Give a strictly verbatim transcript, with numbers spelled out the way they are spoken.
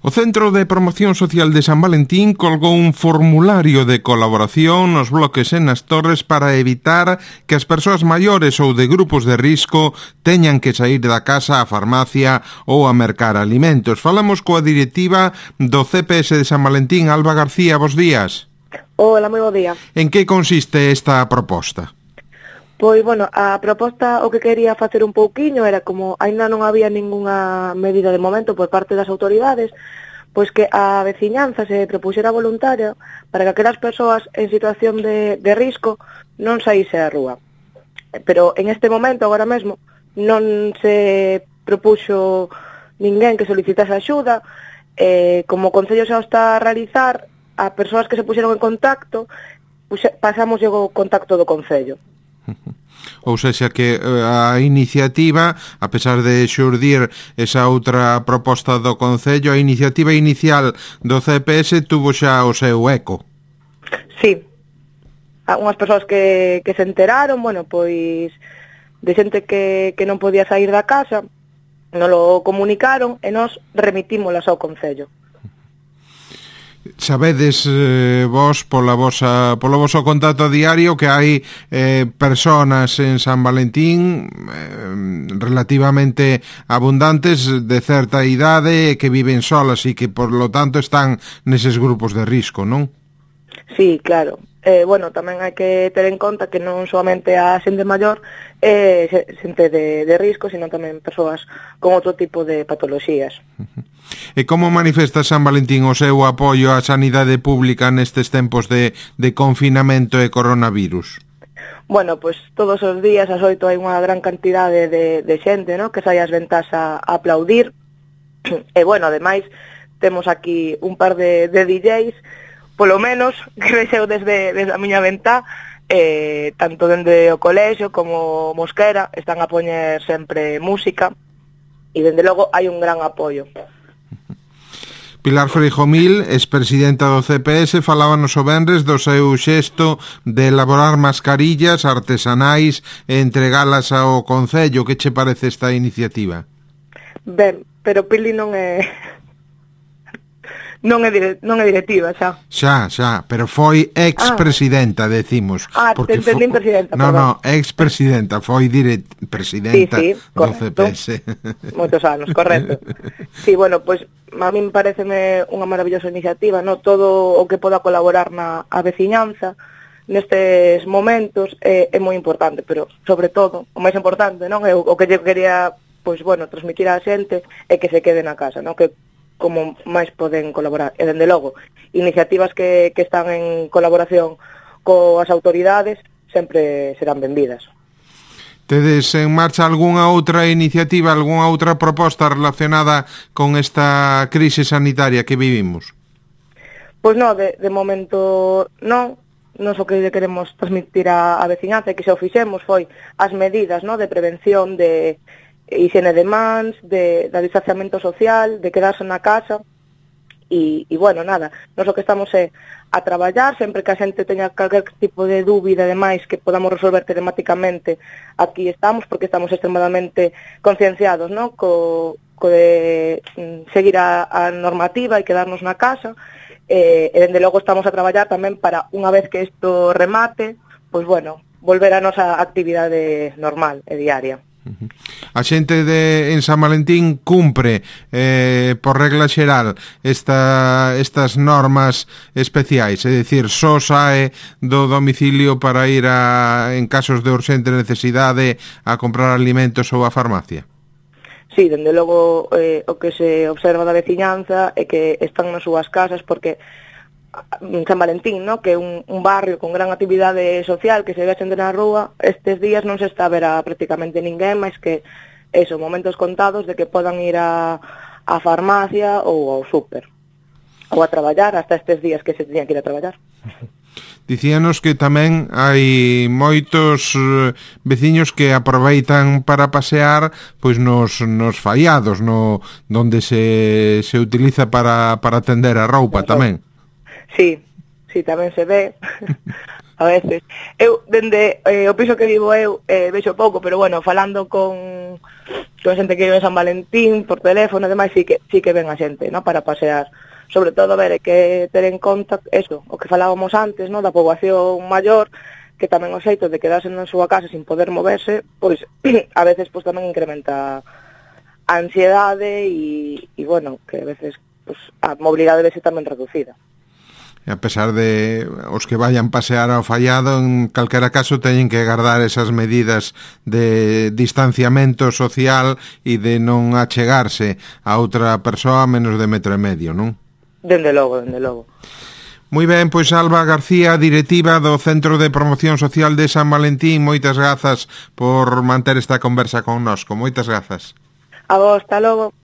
O Centro de Promoción Social de San Valentín colgou un formulario de colaboración nos bloques e nas torres para evitar que as persoas maiores ou de grupos de risco teñan que sair da casa á farmacia ou a mercar alimentos. Falamos coa directiva do C P S de San Valentín, Alba García, bos días. Hola, moi bo día. En que consiste esta proposta? Pois, bueno, a proposta o que quería facer un pouquiño era como aínda non había ningunha medida de momento por parte das autoridades, pois que a veciñanza se propuxera voluntaria para que aquelas persoas en situación de, de risco non saíse á rúa. Pero en este momento, agora mesmo, non se propuxo ninguén que solicitase axuda, eh, como o Concello xa o está a realizar, a persoas que se puxeron en contacto, pasamos o contacto do Concello. Ou seja que a iniciativa, a pesar de xurdir esa outra proposta do Concello, a iniciativa inicial do C P S tuvo xa o seu eco. Sí, unhas persoas que, que se enteraron, bueno, pois de xente que, que non podía sair da casa, nos lo comunicaron e nos remitímolas ao Concello. Sabedes eh, vos pola vosa, polo voso contacto diario que hai eh, personas en San Valentín eh, relativamente abundantes de certa idade que viven solas e que por lo tanto están neses grupos de risco, non? Sí, claro. Eh, bueno, tamén hai que ter en conta que non solamente a xente maior é eh, xente de, de risco, sino tamén persoas con outro tipo de patoloxías. Uh-huh. E como manifesta San Valentín o seu apoio á sanidade pública nestes tempos de, de confinamento e coronavirus? Bueno, pois pues, todos os días ás oito hai unha gran cantidade de, de xente, ¿no?, que sai ás ventás a, a aplaudir. E, bueno, ademais, temos aquí un par de, de D Js, polo menos, que vexeu desde, desde a miña ventá, eh, tanto dende o colexio como Mosquera, están a poñer sempre música, e dende logo hai un gran apoio. Pilar Freijomil, expresidenta do C P S, falábanos o venres do seu xesto de elaborar mascarillas artesanais e entregalas ao Concello. Que che parece esta iniciativa? Ben, pero Pili non é... non é, dire... non é directiva, xa. Xa, xa, pero foi ex-presidenta, ah. decimos. Ah, te entendín fo... presidenta, No, perdón. no, ex-presidenta, foi dire... presidenta sí, sí, do C P S. Moitos anos, correcto. Sí, bueno, pois, pues, a min pareceme unha maravillosa iniciativa, no todo o que poda colaborar na a veciñanza nestes momentos é, é moi importante, pero, sobre todo, o máis importante, non? É o, o que eu quería, pois, bueno, transmitir á xente é que se quede na casa, non? Que como máis poden colaborar. E, dende logo, iniciativas que, que están en colaboración coas autoridades sempre serán benvidas. Tedes en marcha algunha outra iniciativa, algunha outra proposta relacionada con esta crise sanitaria que vivimos? Pois non, de, de momento non. Nos o que queremos transmitir a, a veciñanza, que xa o fixemos, foi as medidas, no, de prevención de higiene de mans, de, de distanciamento social, de quedarse na casa, e, e bueno, nada, nos o que estamos é a traballar, sempre que a xente teña calquer tipo de dúbida e demais que podamos resolver telemáticamente, aquí estamos, porque estamos extremadamente concienciados, no?, co, co de mm, seguir a, a normativa e quedarnos na casa, e, e dende logo estamos a traballar tamén para, unha vez que isto remate, pois bueno, volver a nosa actividade normal e diaria. A xente de en San Valentín cumpre eh, por regla xeral esta, estas normas especiais, é dicir, só sae do domicilio para ir a, en casos de urxente necesidade a comprar alimentos ou a farmacia? Sí, dende logo eh, o que se observa da veciñanza é que están nas súas casas porque San Valentín, ¿no?, que é un, un barrio con gran actividade social que se ve xente na rúa, estes días non se está a ver a prácticamente ninguén, máis que eso, momentos contados de que podan ir a, a farmacia ou ao súper ou a traballar, hasta estes días que se teñan que ir a traballar. Dicíanos que tamén hai moitos eh, veciños que aproveitan para pasear pois nos, nos faiados, no, donde se, se utiliza para, para tender a roupa tamén. Sí, sí, tamén se ve. a veces. Eu, dende eh, o piso que vivo eu, eh, vexo pouco, pero bueno, falando con, con xente que vive en San Valentín, por teléfono e demais, sí que, sí que ven a xente, ¿no?, para pasear. Sobre todo, a ver, hai que ter en conta eso, o que falábamos antes, ¿no?, da poboación maior, que tamén o xeito de quedarse na súa casa sin poder moverse, pois, a veces, pois, tamén incrementa a ansiedade e, e bueno, que a veces, pois, a mobilidade debe ser tamén reducida. A pesar de os que vayan pasear ao fallado, en calquera caso teñen que guardar esas medidas de distanciamento social e de non achegarse a outra persoa a menos de metro e medio, non? Dende logo, dende logo. Moi ben, pois Alba García, directiva do Centro de Promoción Social de San Valentín, moitas grazas por manter esta conversa connosco. Moitas grazas. A vos, hasta logo.